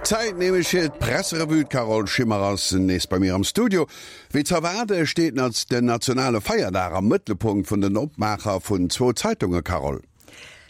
Zäit nämlech fir d'Presserevue. D'Carole Schimmer ass nees bei mir am Studio. Wéi ze erwaarde steet den nationale Feierdag am Mëttelpunkt vun den Opmaacher vun zwou Zeitunge, Carole.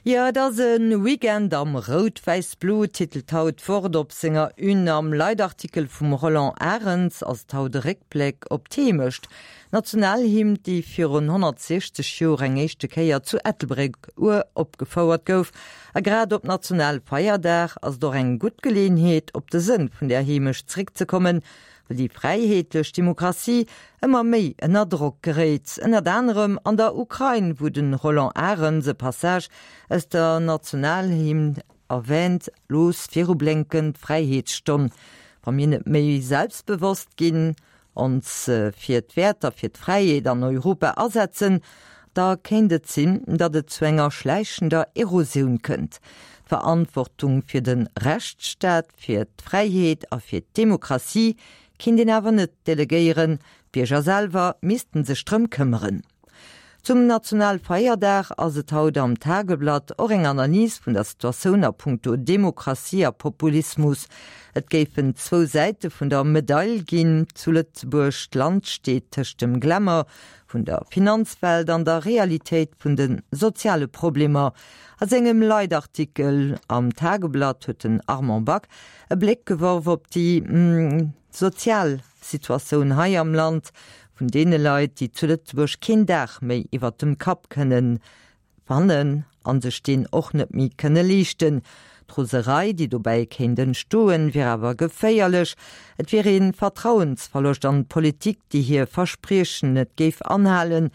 Jo, et ass e Weekend am Rout-Wäiss-Blo, titelt haut d'Wort op senger Une. Am Leitartikel vum Roland Arens ass et haut e Réckbléck op d'Heemecht, d'Nationalhymn, déi virun 160 Joer eng éischte Kéier zu Ettelbréck uropgefouert gouf. A grad op Nationalfeierdag ass et och eng gutt Geleeënheet, op de Sënn vun där Heemecht zréckzekommen, well déi fräiheetlech Demokratie ëmmer méi ënner Drock geréit, ënnert anerem an der Ukrain, wou de Roland Arens e Passage aus der Nationalhymn erwäänt, Looss virublénken d'Fräiheetsstonn, wa mir net méi selbstbewosst ginn, ons fir d'Wäerter fir d'Fräiheet an Europa asetzen, da kéint et sinn, datt et zu enger schläichender Erosioun kënnt. D'Verantwortung fir de Rechtsstaat, fir d'Fräiheet a fir d'Demokratie kinnt een awer net delegéieren, d'Bierger selwer missten sech drëm këmmeren. Zum Nationalfeierdag ass et haut am Tageblatt och eng Analys vun der Situatioun a punkto Demokratie a Populismus. Et géifen zwou Säite vun der Medail ginn zu Lëtzebuerg. D'Land steet tëscht dem Glamour vun der Finanzwelt an der Realitéit vun de soziale Problemer. A sengem Leitartikel am Tageblatt huet den Armand Back e Bléck geworf op déi sozial Situatioun hei am Land, vun deene Leit, déi zu Lëtzebuerg keen Daach méi iwwert dem Kapp kënnen fannen a sech deen och net méi kënne leeschten. D'Roserei, déi dobäi kéint entstoen, wier awer geféierlech. Et wier ee Vertrauensverloscht an d'Politik, déi hir Verspriechen net géif anhalen.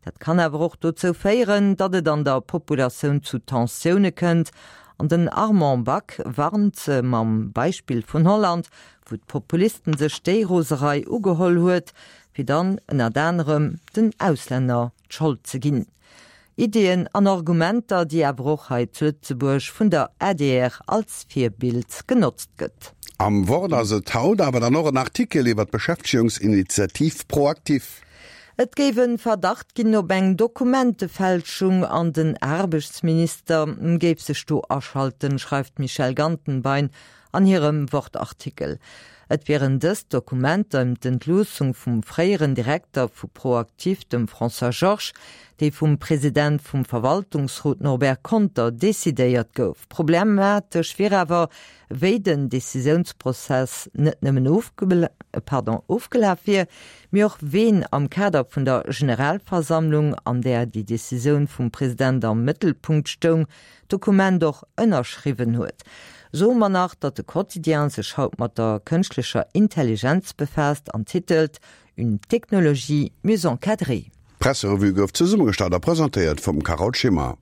Dat kann awer och dozou féieren, datt et an der Populatioun zu Tensioune kënnt. An den Armand Back warnt mam Beispill vun Holland, wou d'Populisten sech déi Roserei ugeholl huet, fir dann ënnert anerem den Auslänner d'Schold ze ginn. Iddien an Argumenter, déi awer och hei zu Lëtzebuerg vun der adr als Virbild genotzt gëtt. Am Wort ass et haut awer dann och en Artikel iwwer d'Beschäftegungsinitiativ ProActif. Et géif e Verdacht ginn op eng Dokumentefälschung an den Aarbechtsminister géif sech do aschalten, schreift d'Michèle Gantenbein an hirem Wort-Artikel. Et wieren dës Dokumenter ëm d'Entloossung vum fréieren Direkter vu ProActif, dem François Georges, déi vum President vum Verwaltungsrot Norbert Conter decidéiert gouf. Problematesch wier awer, wéi den Decisiounsprozess net nëmmen ofgelaf wier, mee och ween am Kader vun der Generalversammlung, an där déi Decisioun vum President am Mëttelpunkt stoung, d'Dokument och ënnerschriwwen huet. Soe mer nach, datt de Quotidien sech haut mat der kënschtlecher Intelligenz befaasst an titelt Une technologie mieux encadrée. D'Presserevue gouf zesummegestallt a presentéiert vum Carole Schimmer.